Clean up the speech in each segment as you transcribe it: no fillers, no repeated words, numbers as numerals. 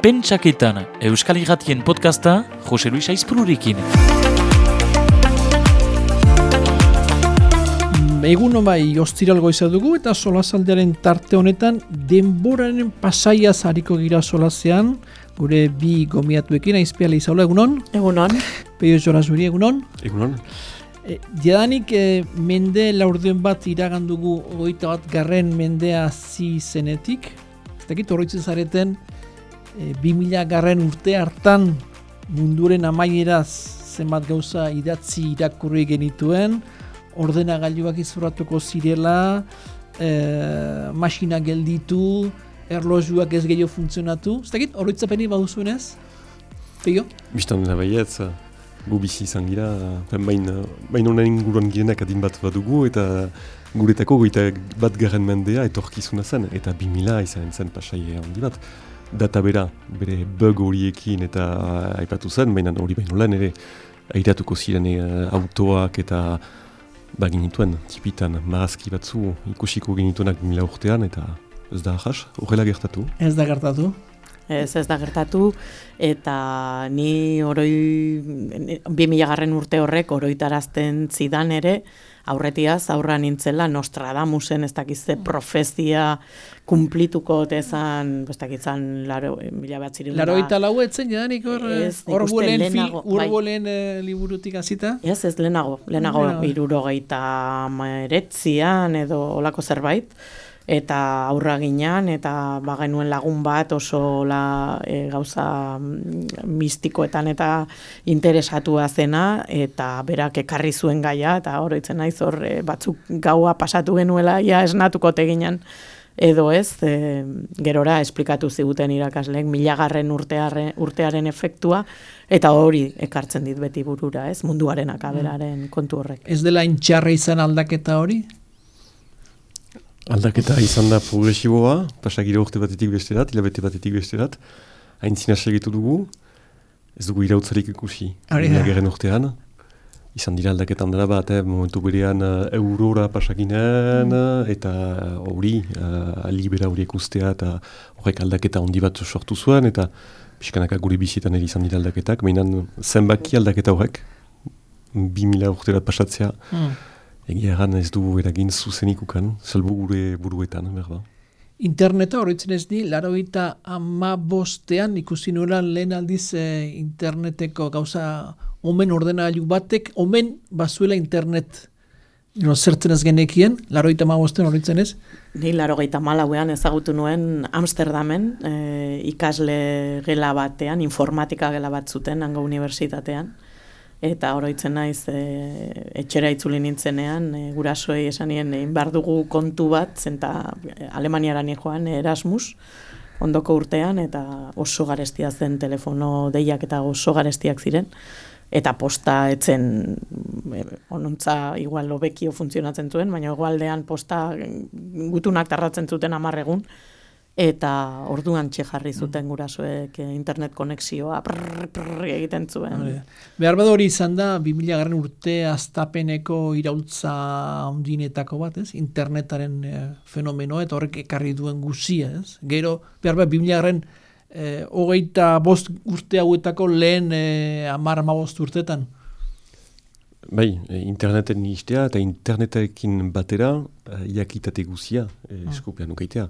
Pentsaketan, Euskal Irratien podcasta, Jose Luis Aizpururekin. Egun bai, ostiral goiza dugu eta solasaldiaren tarte honetan denboraren pasaiaz hariko gira solasean, gure bi gomiatuekin, Aizpiala Izaula, egunon? Egunon. Peio Jorazuri, egunon? Egunon. Jadanik mende laurden bat iragan dugu 21. mendea hasi zenetik. Ez dakit horretzen zareten 2000 urte hartan munduren amaieraz zenbat gauza idatzi irakurri genituen, ordenagailuak izorratuko zirela, masina gelditu, erlojuak ez gehiago funtzionatu. Ez dakit horretzapeni baduzuenez? Peio? Bistan dena baietz, gu bizi izan gira, baina honen inguruan girenak adin bat badugu eta guretako 21. mendea etorkizuna zen, eta 2000 izan zen pasai handi bat. Data bera, bere bug horiekin eta aipatu zen, baina hori baino lan ere airatuko ziren autoak eta ginituen, tipitan, marazki batzu ikusiko genituenak 2000 urtean eta ez da ahas, horrela gertatu. Ez da gertatu. Ez da gertatu, eta ni 2000 urte horrek oroitarazten zidan ere, aurretiaz, aurra nintzela Nostradamusen, ez dakizte profezia kumplituko tezan, ez dakitzan, 84 etzen jadanik urbolen liburutik azita? Ez lehenago 79an edo olako zerbait, eta aurra ginean, eta bagenuen lagun bat oso gauza mistikoetan eta interesatua zena, eta berak ekarri zuen gaia, eta oroitzen naiz hor batzuk gaua pasatu genuela, ja esnatuko teginan, edo ez, gerora esplikatu ziguten irakasleek 1000 urtearen efektua, eta hori ekartzen dit beti burura, ez, munduaren akaberaren kontu horrek. Ez dela intxarra izan aldaketa hori? Aldaketa izan da progresiboa, pasagira urte batetik besterat, hilabete batetik besterat, haintzina segitu dugu, ez dugu irautzarik ikusi. 2000 urtean, izan dira aldaketan dela bat, momentu berean eurora pasakinen, eta hori, libera horiek ustea, eta horrek aldaketa handi bat sortu zuen, eta pixkanaka gure bizietan ere izan dira aldaketak, baina zenbaki aldaketa horrek, 2000 urterat pasatzea, egia egan ez du eragin zuzenikukan, salbu gure buruetan, berba. Interneta horretzen ez di, 95ean ikusi nuela lehen aldiz interneteko gauza omen ordenagailu batek, omen bazuela internet. Zertzen ez genekien, 95ean horretzen ez? Ni 94ean ezagutu nuen Amsterdamen, ikasle gela batean, informatika gela bat zuten, hango unibertsitatean. Eta oroitzen naiz etxera itzuli nintzenean, gurasoei esanien egin behar dugu kontu bat, zenta Alemaniara joan Erasmus, ondoko urtean, eta oso garestia zen telefono deiak eta oso garestiak ziren, eta posta etzen, onontza igual hobekio funtzionatzen zuen, baina egoaldean posta gutunak tarratzen zuten 10 egun, eta orduan jarri zuten gurasoek internet konexioa egiten zuen. Behar bada hori izan da 2000 urte hastapeneko iraultza handinetako bat, ez? Internetaren fenomenoa eta horrek ekarri duen guzia, ez? Gero, behar bada 2025 urte hauetako lehen 10-15 urtetan. Bai, interneten istea eta internetekin batera jakitate guzia eskupean ukaitea.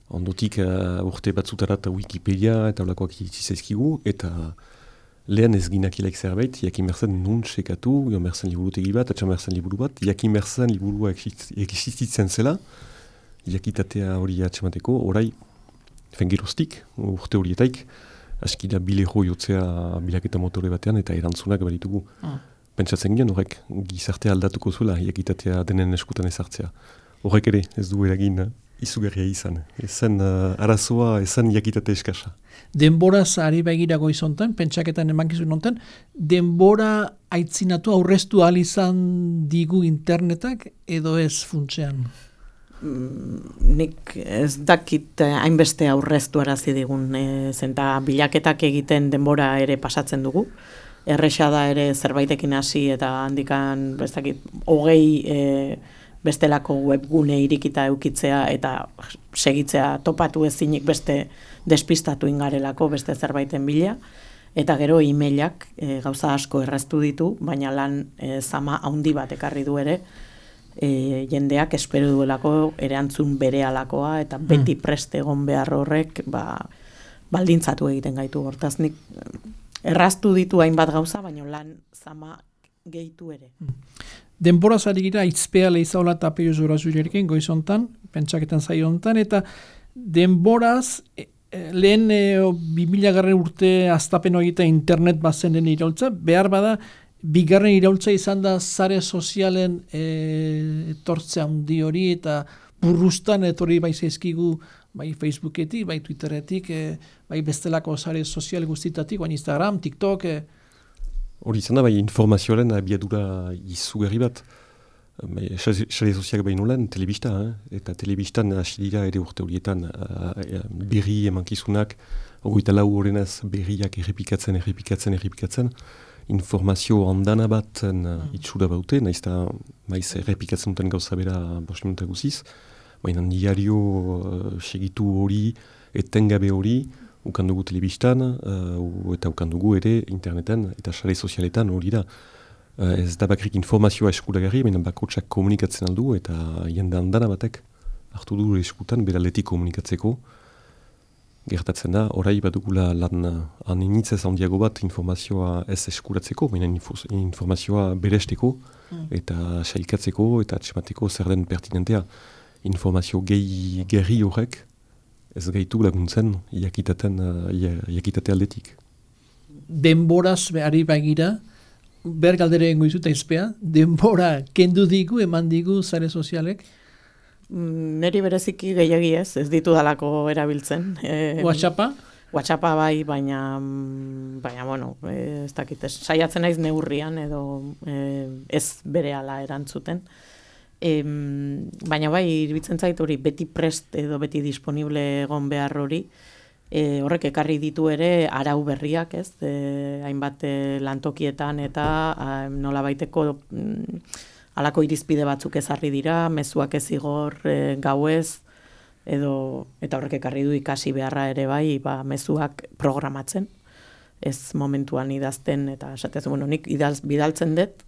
Ondotik urte batzutarat Wikipedia eta olakoak itzizaizkigu, eta lehen ez ginakilek zerbait, jakin berzen nun sekatu, joan berzen liburutegi bat, atxan berzen liburu bat, jakin berzen liburua existitzen zela, jakitatea hori atxemateko, orai, fengeroztik, urte horietaik, askida bilero jotzea bilaketa motore batean, eta erantzunak baritugu. Pentsatzen ginen horrek gizartea aldatuko zuela, jakitatea denen eskutan ezartzea. Horrek ere ez du eragin izugarria izan. Ezen arazoa, ezen jakitate eskasa. Denboraz ari begirago izontan, pentsaketan emankizun nontan, denbora aitzinatu aurreztu ahal izan digu internetak edo ez funtsean? Nik ez dakit hainbeste aurreztu arazi digun, zenta bilaketak egiten denbora ere pasatzen dugu. Erresa da ere zerbaitekin hasi eta handikan, ez dakit, 20 bestelako webgune irikita eukitzea eta segitzea topatu ezinik beste despistatu ingarelako beste zerbaiten bila, eta gero e-mailak gauza asko erraztu ditu, baina lan zama handi bat ekarri du ere, jendeak espero duelako erantzun berehalakoa eta beti preste egon behar horrek baldintzatu egiten gaitu. Hortaz nik erraztu ditu hainbat gauza, baina lan zama gehitu ere. Denboraz ari gira, itzpea lehizaola eta peio zorazurekin, goizontan, pentsaketan zaio hontan, eta denboraz, lehen 2000 urte aztapen hori eta internet bazen den iraultza, behar bada, bigarren iraultza izan da zare sozialen etortzea handi hori, eta burrustan etorri bai zaizkigu, bai Facebooketik, bai Twitteretik, bai bestelako zare sozial guztitatik, bai Instagram, TikTok, Hori izan da, bai, informazioaren abiadura izugarri bat. Sare soziak behin nolan, telebista, eta telebistan hasi dira ere urte horietan berri emankizunak, 24 horrenaz berriak errepikatzen. Informazio handana bat itxura baute, nahiz eta maiz errepikatzen duten gauza bera 5 minuta guziz, baina diario segitu hori, etengabe hori, ukandugu telebistan, eta ukandugu ere interneten eta sare sozialetan hori da. Ez da bakrik informazioa eskuragarri, baina bakotsak komunikatzen aldu eta jende handana batek hartu du eskutan beraletik komunikatzeko. Gertatzen da, orai badugula lan aninitzez handiago bat informazioa ez eskuratzeko, baina informazioa beresteko eta sailkatzeko eta atsemateko zer den pertinentea. Informazio gerri horrek ez gaitu laguntzen jakitate aldetik. Denboraz ari bagira, bergaldere egingo izuta izpea, denbora kendu digu, eman digu zare sozialek? Neri bereziki gehiagi ez ditu dalako erabiltzen. WhatsAppa? WhatsAppa bai, baina bueno, ez dakit, saiatzen naiz neurrian edo ez berehala erantzuten. Baina bai, iruditzen zait hori beti prest edo beti disponible egon behar hori, horrek ekarri ditu ere arau berriak, ez? Hainbat lantokietan eta nolabaiteko halako irizpide batzuk ezarri dira, mezuak ez igor gauez, eta horrek ekarri du ikasi beharra ere bai, mezuak programatzen, ez momentuan idazten, eta esatez, bueno, nik bidaltzen dut,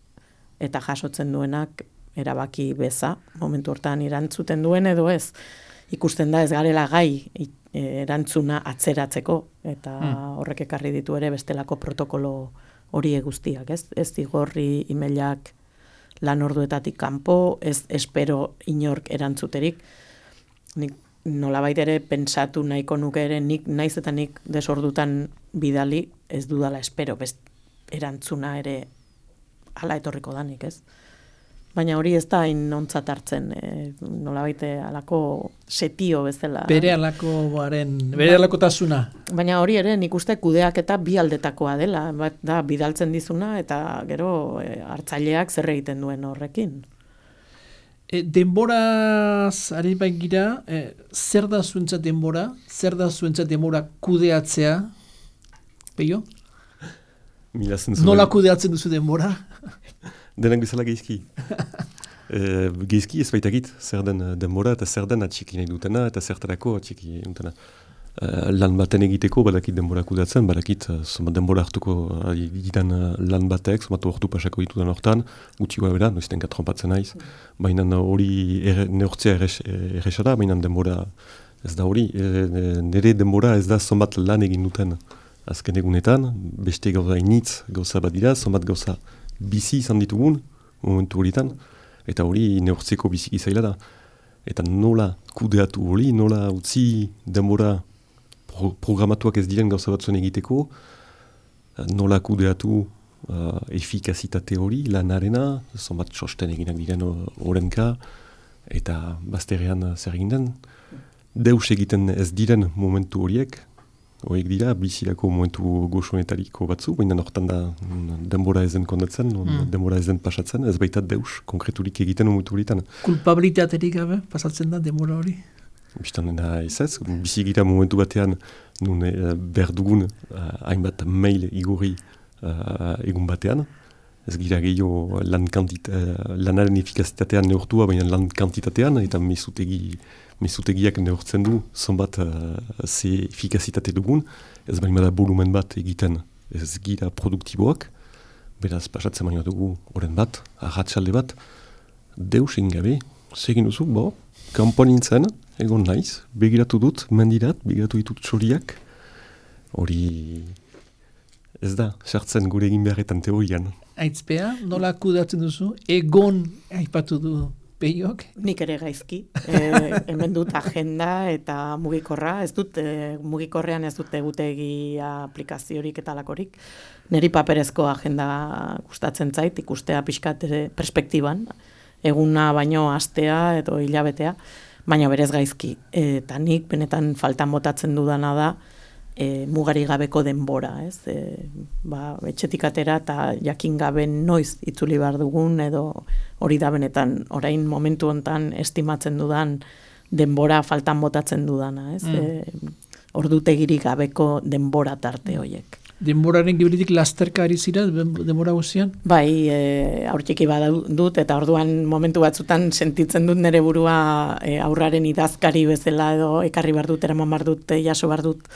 eta jasotzen duenak erabaki beza, momentu hortan erantzuten duen edo ez. Ikusten da ez garela gai erantzuna atzeratzeko, eta horrek ekarri ditu ere bestelako protokolo hori guztiak, ez? Ez igorri emailak lan orduetatik kanpo, ez espero inork erantzuterik. Nik nolabait ere pentsatu nahiko nuke ere, naiz eta nik desordutan bidali, ez dudala espero, erantzuna ere hala etorriko danik, ez? Baina hori ez da hain ontzat hartzen, nolabait alako setio bezala. Bere alakotasuna. Baina hori ere nik uste kudeak eta bi aldetakoa dela, bat da bidaltzen dizuna eta gero hartzaileak zer egiten duen horrekin. Denboraz ari baigira, zer da zuentzat denbora? Zer da zuentzat denbora kudeatzea? Peio? Nola kudeatzen duzu denbora? Denak bezala geizki. Geizki ez baitakit zer den denbora eta zer den atxiki nahi dutena eta zertarako atxiki dutena. Lan baten egiteko badakit denbora kudeatzen, badakit somat denbora hartuko ditan lan batek, somat ordu pasako ditudan hortan, gutxi gara bera, noizten katrompatzen naiz. Baina hori neurtzea erresa da, baina denbora ez da hori. Nire denbora ez da somat lan egin duten azken egunetan, beste gauza initz gauza bat dira, somat gauza bizi izan ditugun, momentu horietan, eta hori neurtzeko biziki zaila da. Eta nola kudeatu hori, nola utzi denbora programatuak ez diren gauza batzuen egiteko, nola kudeatu efikazitate hori, lanarena, zonbat txosten eginak diren horrenka, eta bazterrean zer egin den. Deus egiten ez diren momentu horiek dira, bizilako momentu goxonetariko batzu, baina hortan da denbora ezen kondatzen, denbora ezen pasatzen, ez baita deus konkreturik egiten momentu horietan. Kulpabilitaterik gabe pasatzen da denbora hori? Bistan da ez, bizigira momentu batean nun behar dugun hainbat mail igorri egun batean, Ez gira gehiago lanaren efikazitatean neurtua, baina lan kantitatean, eta mezutegiak neurtzen du, zonbat ze efikazitate dugun, ez baina bada volumen bat egiten, ez gira produktiboak, beraz pasatzen baina dugu oren bat, arratsalde bat, deus egin gabe, segin duzu, kanpoan nintzen, egon naiz, begiratu dut, mendirat, begiratu ditut txoriak, hori ez da, sartzen gure egin beharretan teorian. Aitzpea, nola kudatzen duzu? Egon aipatu du Peiok? Nik ere gaizki. Hemen dut agenda eta mugikorra. Ez dut, mugikorrean ez dut egutegi aplikaziorik eta lakorik. Neri paperezko agenda gustatzen zait, ikustea pixkat perspektiban. Eguna baino astea edo hilabetea, baina berez gaizki. Eta nik benetan faltan botatzen dudana da, mugari gabeko denbora, ez? Etxetik atera eta jakin gabe noiz itzuli behar dugun, edo hori da benetan, orain momentu hontan estimatzen dudan denbora faltan botatzen dudana, ez? Ordutegirik gabeko denbora tarte horiek. Denboraren giberitik lasterka ari zira, denbora guztian? Bai, aurtxiki badut, eta orduan momentu batzutan sentitzen dut nire burua aurraren idazkari bezala, edo ekarri behar dut, eraman behar dut, jaso behar dut,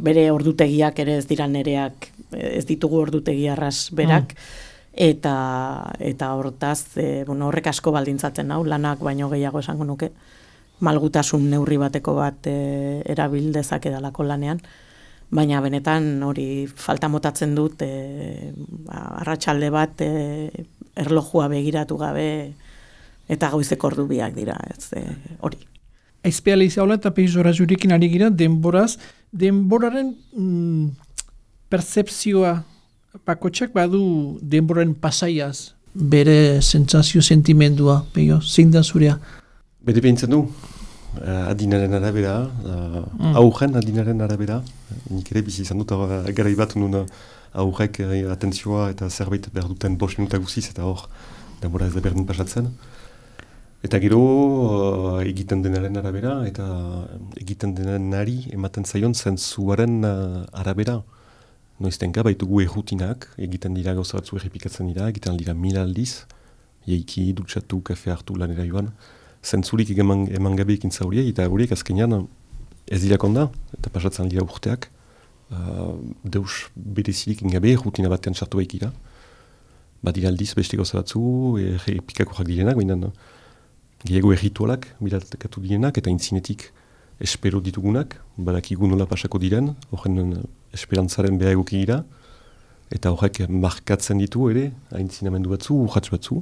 bere ordutegiak ere ez dira nereak, ez ditugu ordutegi arras berak, eta hortaz, horrek asko baldintzatzen hau, lanak baino gehiago esango nuke, malgutasun neurri bateko bat erabil dezakedalako lanean, baina benetan hori falta motatzen dut, arratsalde bat erlojua begiratu gabe, eta goizeko ordu biak dira, ez hori. Aizpea Leizaola eta Peiz Orazurekin ari gira, denboraren pertzepzioa bakotxak badu denboraren pasaiaz, bere sentsazio sentimendua, Peio, zein da zurea? Bede behintzen du, adinaren arabera, aurren adinaren arabera, nik ere bizi izan dut, garai bat nun aurrek atentzioa eta zerbait behar duten 5 minuta guziz, eta hor, denbora ez da berdin pasatzen. Eta gero egiten denaren arabera, eta egiten denari ematen zaion zentzuaren arabera. Noiztenka baitugu errutinak, egiten dira gauza batzu errepikatzen dira, egiten dira 1000 aldiz, jeiki, dutxatu, kafe hartu lanera joan, zentzurik eman gabe ekintza horiek, eta horiek azkenean ez dira konda, eta pasatzen dira urteak, deus berezirik ingabe errutina batean sartu baikira. Badira aldiz beste gauza batzu, errepikakoak direnak, baina gehiago erritualak, bilatakatu direnak, eta intzinetik espero ditugunak, badakigu nola pasako diren, horren esperantzaren beha egokigira, eta horrek markatzen ditu ere, aintzinamendu batzu, urratz batzu,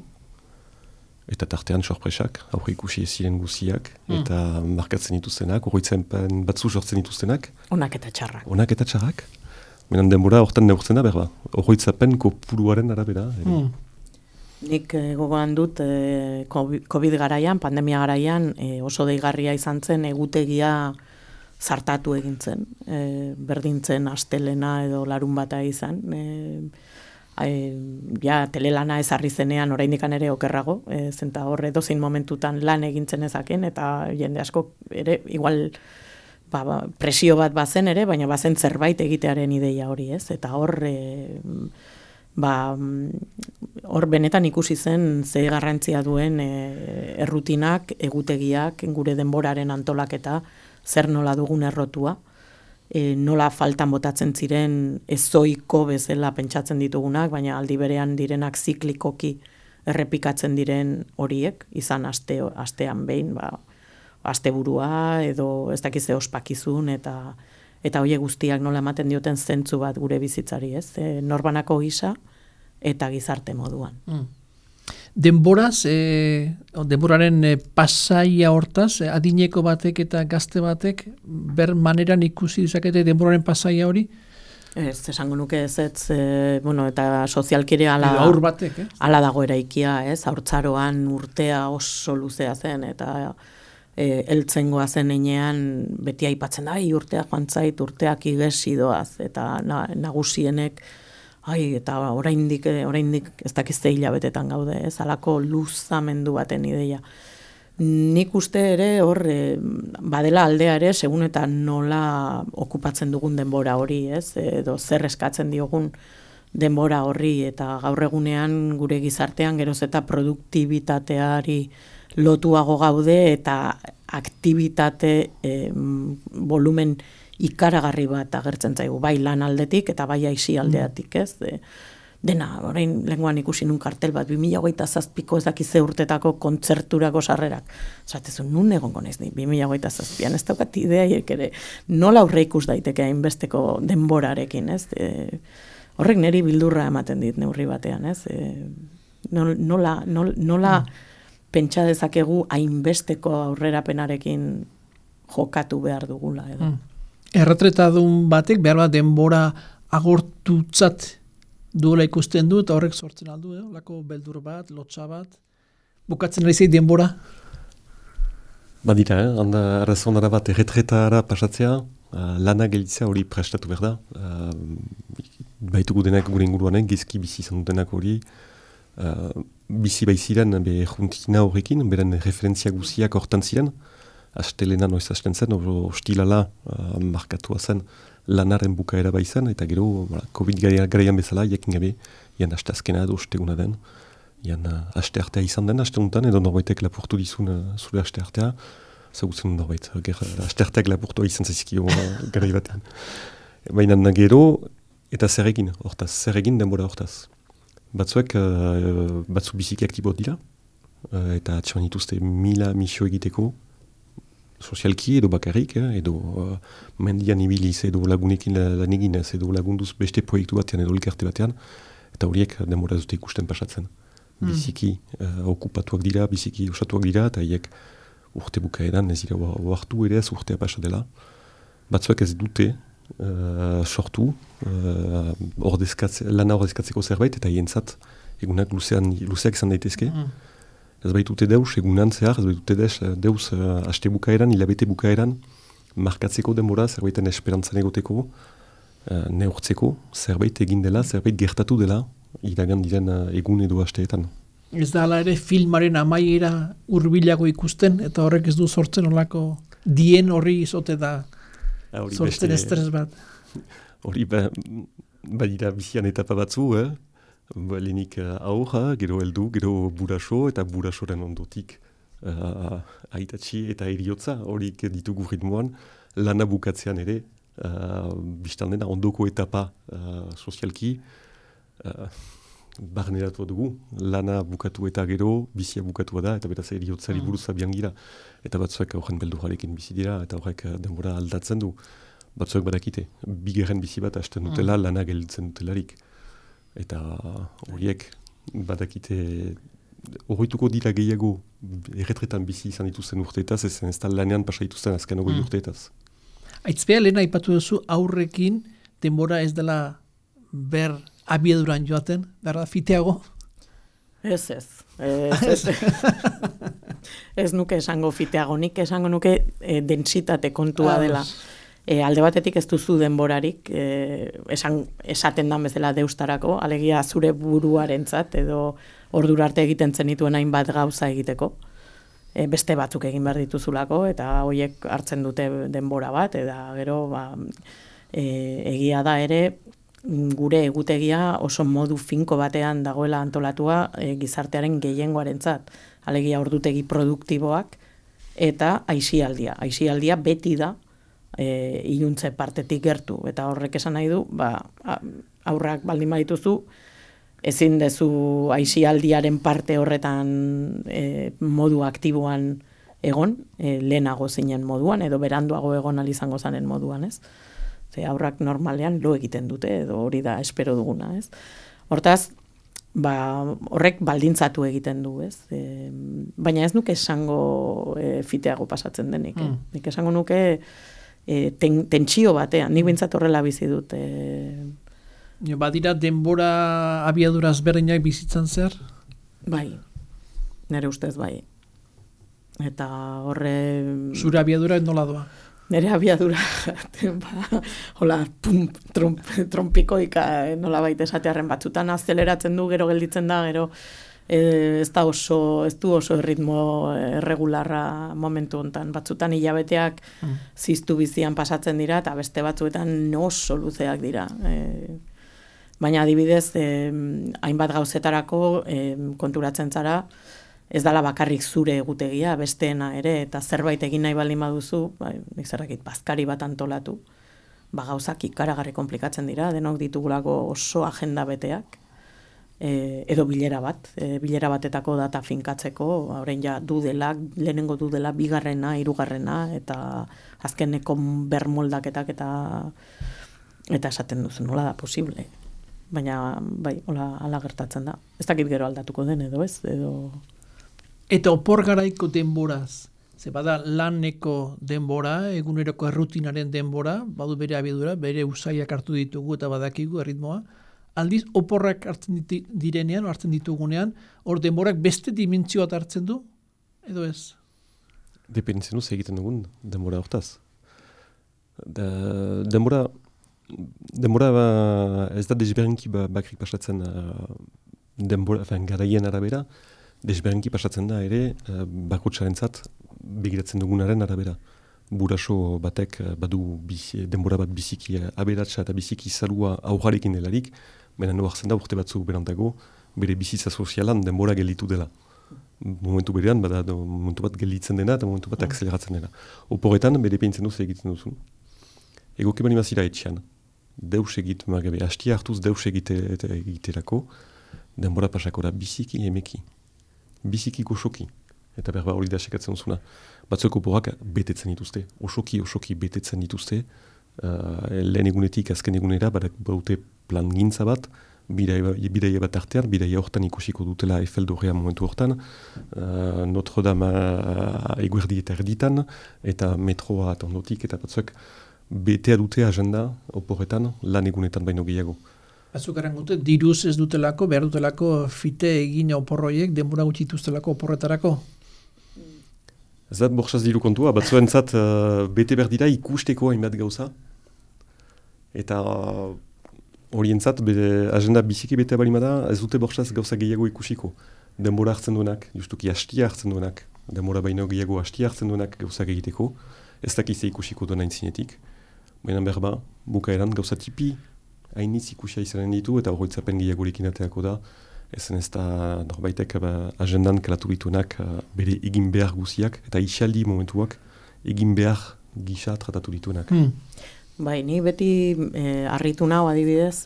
eta tartean sorpresak, aurre ikusi ziren guziak, eta markatzen dituztenak, horretzen batzu sortzen dituztenak. Onak eta txarrak. Onak eta txarrak. Menan denbora horretan neurtzen da, berba. Horretzapen kopuruaren arabera. Nik gogoan dut COVID garaian, pandemia garaian, oso deigarria izan zen egutegia zartatu egin zen. Berdintzen astelena edo larun bata izan. Telelana ezarri zenean oraindikan ere okerrago, zenta horre dozein momentutan lan egintzen ezaken, eta jende asko ere, igual presio bat bazen ere, baina bazen zerbait egitearen ideia hori, ez? Eta hor benetan ikusi zen ze garrantzia duen errutinak, egutegiak, gure denboraren antolaketa, zer nola dugun errotua, nola faltan botatzen ziren ezoiko bezala pentsatzen ditugunak, baina aldi berean direnak ziklikoki errepikatzen diren horiek, izan astean behin, asteburua edo ez dakize ospakizun eta horiek guztiak nola ematen dioten zentzu bat gure bizitzari, ez? Norbanako gisa eta gizarte moduan. Denboraz, denboraren pasaia hortaz, adineko batek eta gazte batek, ber maneran ikusi dezakete denboraren pasaia hori? Ez, esango nuke ez, eta sozialkire aur batek, ala dago eraikia, ez? Haurtzaroan urtea oso luzea zen, eta heltzengoa zen enean beti aipatzen da, urteak joan zait, urteak igesi doaz, eta nagusienek, eta oraindik ez dakizte hilabetetan gaude, ez, alako luzamendu baten ideia. Nik uste ere hor, badela aldea ere, segun eta nola okupatzen dugun denbora hori, ez, edo zer eskatzen diogun denbora horri, eta gaur egunean gure gizartean geroz eta produktibitateari lotuago gaude eta aktibitate volumen ikaragarri bat agertzen zaigu, bai lan aldetik eta bai aisi aldeatik, ez? Dena, orain lenguan ikusi nun kartel bat, 2027ko ez dakize urtetako kontzerturako sarrerak. Zatezu, nun egongo naiz ni, 2027an, ez daukat ideiak ere, nola aurre ikus daiteke hainbesteko denborarekin, ez? Horrek niri bildurra ematen dit neurri batean, ez? Nola pentsa dezakegu hainbesteko aurrerapenarekin jokatu behar dugula, edo. Erretretadun batek behar bat denbora agortutzat duela ikusten du, eta horrek sortzen aldu, lako beldur bat, lotxa bat, bukatzen ari zei denbora? Badira, handa arrazondara bat erretretara pasatzea, lana gelditzea hori prestatu behar da. Baitugu denak gure inguruanen, gizki bizi izan dutenak hori, bizi baiziren juntina horrekin, beren referentzia guziak hortan ziren, astelena noiz hasten zen, ostilala markatua zen lanaren bukaera baizan, eta gero COVID garaian bezala, jakin gabe, ian aste azkena edo osteguna den, ian aste artea izan den, aste untan, edo norbaitek lapurtu dizun zure aste artea, zagutzen norbait, aste arteak lapurtua izan zaizkio garai batean. Baina gero, eta zer egin denbora hortaz. Batzuek, batzu biziki aktibot dira, eta atxeman dituzte 1000 misio egiteko, sozialki edo bakarrik, edo mendian ibiliz, edo lagunekin lan eginez, edo lagunduz beste proiektu batean, edo elkarte batean, eta horiek denbora dute ikusten pasatzen. Biziki okupatuak dira, biziki osatuak dira, eta haiek urte bukaeran, ez dira oartu ere ez urtea pasa dela. Batzuek ez dute sortu lana ordezkatzeko zerbait, eta hientzat egunak luzeak izan daitezke. Ez baitute deus egunan zehar, ez baitute deus haste bukaeran, hilabete bukaeran, markatzeko denbora, zerbaiten esperantzan egoteko, neurtzeko, zerbait egin dela, zerbait gertatu dela, iragan diren egun edo hasteetan. Ez da ala ere filmaren amaiera hurbilago ikusten, eta horrek ez du sortzen olako dien horri izote da sortzen estres bat. Hori badira bizian etapa batzu, lehenik aurra, gero heldu, gero buraso, eta burasoren ondotik aitatxi eta eriotza, horik ditugu ritmoan, lana bukatzean ere, biztan dena ondoko etapa sozialki, barneratu dugu, lana bukatu eta gero, bizia bukatu da, eta beraz eriotzari buruz abian gira. Eta batzuek horren beldurrarekin bizi dira, eta horrek denbora aldatzen du. Batzuek badakite, bigarren bizi bat hasten dutela, lana gelditzen dutelarik. Eta horiek badakite horretuko dira gehiago erretretan bizi izan dituzten urteetaz, ez da lanean pasa dituzten azken urteetaz. Aitzpea lehen aipatu duzu aurrekin denbora ez dela ber abieduran joaten, berda fiteago? Ez. Ez nuke esango fiteago, nik esango nuke densitate kontua dela. Alde batetik ez duzu denborarik, esaten dan bezala deustarako, alegia zure buruarentzat edo ordura arte egiten zenituen hainbat gauza egiteko. Beste batzuk egin behar dituzulako, eta horiek hartzen dute denbora bat, eta gero egia da ere, gure egutegia oso modu finko batean dagoela antolatua gizartearen gehiengoarentzat. Alegia ordutegi produktiboak eta aisialdia. Aisialdia beti da iluntze partetik gertu, eta horrek esan nahi du, aurrak baldin badituzu, ezin dezu aisialdiaren parte horretan modu aktiboan egon, lehenago zinen moduan, edo beranduago egon izango zanen moduan, ez? Ze aurrak normalean lo egiten dute, edo hori da espero duguna, ez? Hortaz, horrek baldintzatu egiten du, ez? Baina ez nuke esango fiteago pasatzen denik, nik esango nuke tentsio batean, nik bintzat horrela bizi dut. Badira denbora abiaduraz berdinak bizitzan zer? Bai, nire ustez bai. Eta horre... Zure abiadura nola doa? Nire abiadura, hola, trompikoika nola baita esatearen batzutan azeleratzen du, gero gelditzen da, gero ez du oso erritmo erregularra momentu hontan. Batzutan hilabeteak ziztu bizian pasatzen dira, eta beste batzuetan oso luzeak dira. Baina adibidez, hainbat gauzetarako konturatzen zara, ez dala bakarrik zure egutegia, besteena ere, eta zerbait egin nahi baldin baduzu, nik zerrakit, bazkari bat antolatu, gauzak ikaragarri komplikatzen dira, denok ditugulako oso agenda beteak, edo bilera batetako data finkatzeko, orain ja lehenengo dudela, bigarrena, hirugarrena, eta azkeneko bermoldaketak eta esaten duzu, nola da posible. Baina, hala gertatzen da. Ez dakit gero aldatuko den edo ez, edo... Eta opor garaiko denboraz, ze bada laneko denbora, eguneroko errutinaren denbora, badu bere abiedura, bere usaiak hartu ditugu eta badakigu erritmoa, aldiz oporrak hartzen ditugunean, hor denborak beste dimentzioat hartzen du, edo ez? Dependitzen duz egiten dugun denbora hortaz. Denbora ez da desberdinki bakrik pasatzen garaien arabera, desberdinki pasatzen da ere bakotxarentzat begiratzen dugunaren arabera. Buraso batek badu denbora bat biziki aberatsa eta biziki zalua aurrarekin delarik, baina hartzen da urte batzuk berantago bere bizitza sozialan denbora gelditu dela. Momentu berean, bada momentu bat gelditzen dena eta momentu bat akzeleratzen dena. Oporretan, bere peintzen duz egiten duzun. Egoke bani mazira etxean. Deus egit, margabe, hastia hartuz deus egiterako, denbora pasakora biziki emeki. Biziki goxoki. Eta berba hori da sekatzen duzuna. Batzueko oporak betetzen dituzte. Osoki betetzen dituzte. Lehen egunetik, azken egunera, baute plan gintza bat, bidaia bat artean, bidaia hortan ikusiko dutela Eiffel-dorrea momentu hortan, Notre Dame eguerdi eta erditan, eta metroa eta ondotik, eta batzuek betea dute agenda oporretan, lan egunetan baino gehiago. Batzukaren gute, diruz ez dutelako, behar dutelako fite egin oporroiek, denbora gutxi dituztelako oporretarako? Ez da borxaz diru kontua, batzuentzat bete berdira ikusteko hainbat gauza, eta horientzat agenda biziki bete balimada, ez dute borxaz gauza gehiago ikusiko. Denbora hartzen duenak, justuki hastia hartzen duenak, denbora baino gehiago hastia hartzen duenak gauza egiteko, ez dakize ikusiko duena intzinetik. Baina berba, bukaeran gauza tipi, hainitz ikusia izanen ditu, eta horretzapen gehiagorekin ateako da, ezen ez da norbaitek agendan kalatu dituenak bere egin behar guziak, eta isaldi momentuak egin behar gisa tratatu dituenak. Bai, ni beti harritu nau adibidez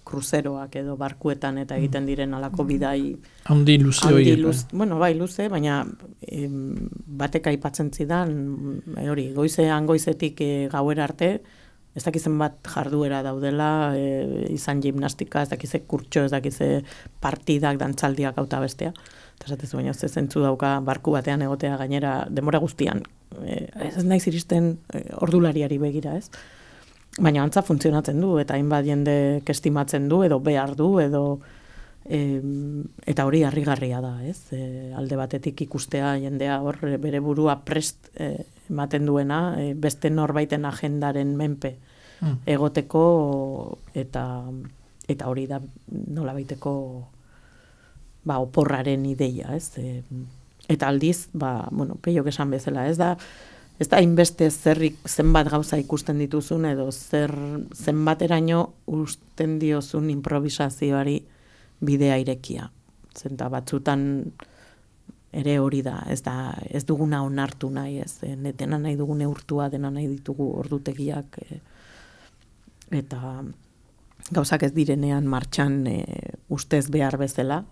kruzeroak edo barkuetan eta egiten diren alako bidai handi luze horiek. Bueno, bai, luze, baina batek aipatzen zidan hori, goizetik gauera arte, ez dakizen bat jarduera daudela, izan gimnastika, ez dakize kurtxo, ez dakize partidak, dantzaldiak auta bestea. Eta esatezu baina ez zentzu dauka barku batean egotea gainera denbora guztian. Ez naiz iristen ordulariari begira, ez? Baina antza funtzionatzen du, eta hainbat jende estimatzen du, edo behar du, edo eta hori harrigarria da, ez? Alde batetik ikustea jendea hor bere burua prest ematen duena, beste norbaiten agendaren menpe egoteko, eta hori da nolabaiteko oporraren ideia, ez? Eta aldiz, peiok esan bezala, ez da hainbeste zenbat gauza ikusten dituzun, edo zenbateraino usten diozun improvisazioari bidea irekia. Zenta batzutan ere hori da, ez duguna onartu nahi, ez? Dena nahi dugune urtua, dena nahi ditugu ordutegiak, eta gauzak ez direnean martxan ustez behar bezala,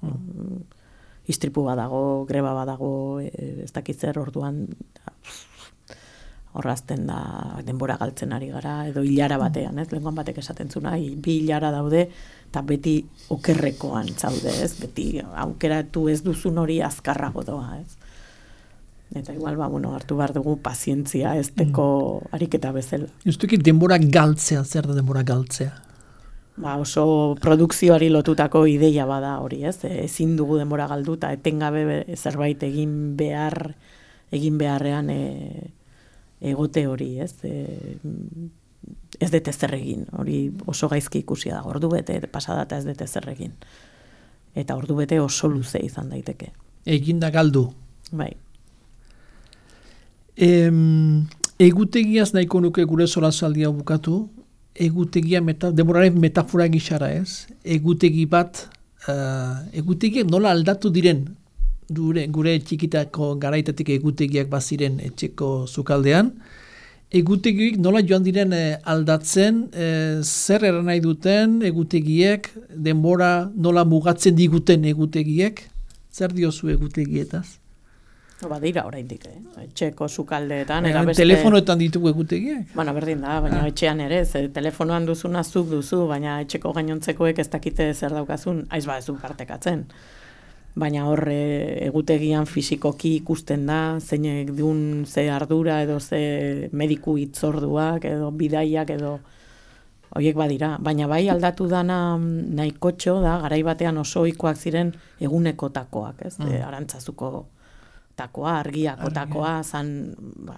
istripu badago, greba badago, ez dakitzer orduan horrazten da denbora galtzen ari gara, edo hilara batean, ez? Lenguan batek esaten zuna, 2 hilara daude, eta beti okerrekoan zaude, ez? Beti aukeratu ez duzun hori azkarrago doa, ez? Eta igual, hartu behar dugu pazientzia ez teko ariketa bezala. Justuki denbora galtzea, zer da denbora galtzea? Oso produkzioari lotutako ideia bada hori, ez? Ezin dugu denbora galdu, eta etengabe zerbait egin beharrean egote hori, ez? Ez dute zer egin, hori oso gaizki ikusia da, ordu bete pasada eta ez dute zer egin. Eta ordu bete oso luze izan daiteke. Egin da galdu. Bai. Egutegiaz nahiko nuke gure solasaldia bukatu, egutegia, denboraren metafora gixara ez, egutegi bat, egutegiak nola aldatu diren, gure txikitako garaitatik egutegiak baziren etxeko sukaldean, egutegiak nola joan diren aldatzen, zer eran nahi duten egutegiek, denbora nola mugatzen diguten egutegiek, zer diozu egutegietaz? Badira oraindik, etxeko sukaldeetan. Telefonoetan ditugu egutegiak? Bueno, berdin da, baina etxean ere, telefonoan duzuna zuk duzu, baina etxeko gainontzekoek ez dakite zer daukazun, aiz ba ez du partekatzen. Baina hor egutegian fisikoki ikusten da, zeinek duen ze ardura edo ze mediku hitzorduak edo bidaiak edo horiek badira. Baina bai aldatu dana nahikotxo da, garai batean oso ohikoak ziren egunekotakoak, ez? Arantzazuko takoa, argiako takoa, zan,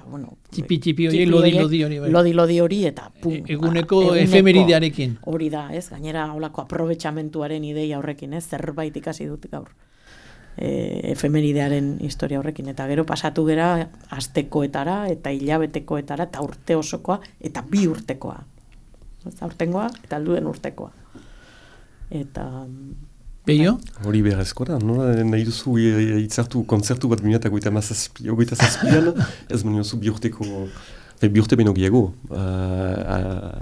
bueno... Txipi hori, lodi hori. Lodi hori, eta pum. Eguneko efemeridearekin. Hori da, ez? Gainera, holako aprobetxamentuaren ideia horrekin, ez? Zerbait ikasi dut gaur. Efemeridearen historia horrekin. Eta gero pasatu gera astekoetara, eta hilabetekoetara, eta urte osokoa, eta 2 urtekoa. Aurtengoa, eta alduen urtekoa. Eta... Beio? Hori beharrezko da, nola nahi duzu hitzartu kontzertu bat 2027an, ez manio zu 2 urteko, 2 urte beno gehiago,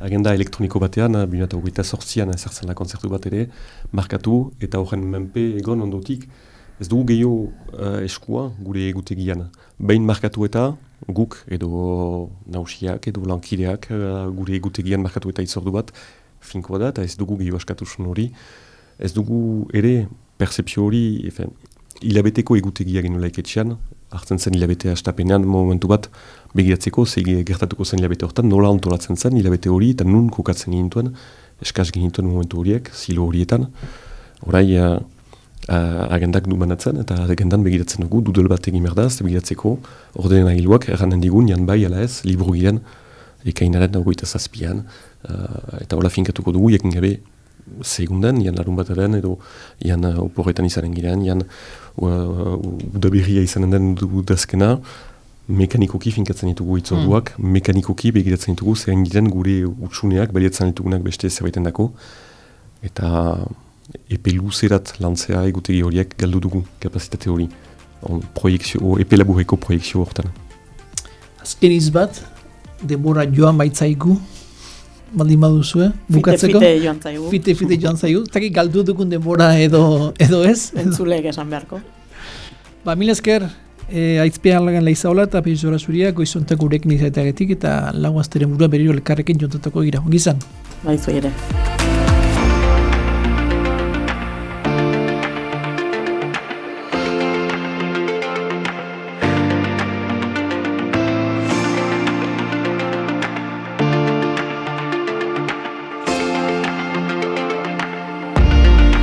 agenda elektroniko batean, 2028an ezartzen da kontzertu bat ere, markatu eta horren menpe egon ondotik, ez dugu gehiago eskua gure egutegian. Behin markatu eta guk edo nausiak edo lankideak gure egutegian markatu eta itzordu bat finkoa da, eta ez dugu gehiago askatusun hori. Ez dugu ere percepzio hori, hilabeteko egutegia genuela iketxean, hartzen zen hilabetea astapenean momentu bat begiratzeko, gertatuko zen hilabete hortan, nola ontolatzen zen hilabete hori, eta nun kokatzen gintuen, eskaz genituen momentu horiek, zilo horietan. Horai agendak du banatzen, eta agendan begiratzen dugu, dudel bat egin berdaz, begiratzeko ordenen agiluak, erranen digun, jan bai, ala ez, liburu giren, ekainaren 27an, eta hola finkatuko dugu, jakin gabe, segundan, jan larun bataren, edo jan oporretan izanen girean, jan udaberria izanen den udazkena, mekanikoki finkatzen ditugu itzorduak, mekanikoki begiratzen ditugu, zein giren gure utsuneak, baliatzen ditugunak beste zerbaiten dako, eta epe luzerat lantzea egutegi horiek galdu dugu kapazitate hori, epe laburreko proiekzio hortan. Azken izbat, denbora joan baitzaigu, baldin baduzue, bukatzeko? Fite joan zaigu. Fite joan zaigu. Zaki galdu dugun denbora edo ez? Entzulek esan beharko. Mila esker, aitzpean lagan leizaola eta peixora zuria, goizontak gurekin izaiteagetik eta lagu azteren burua berriro elkarrekin jontatako gira. Ongizan? Baizu ere.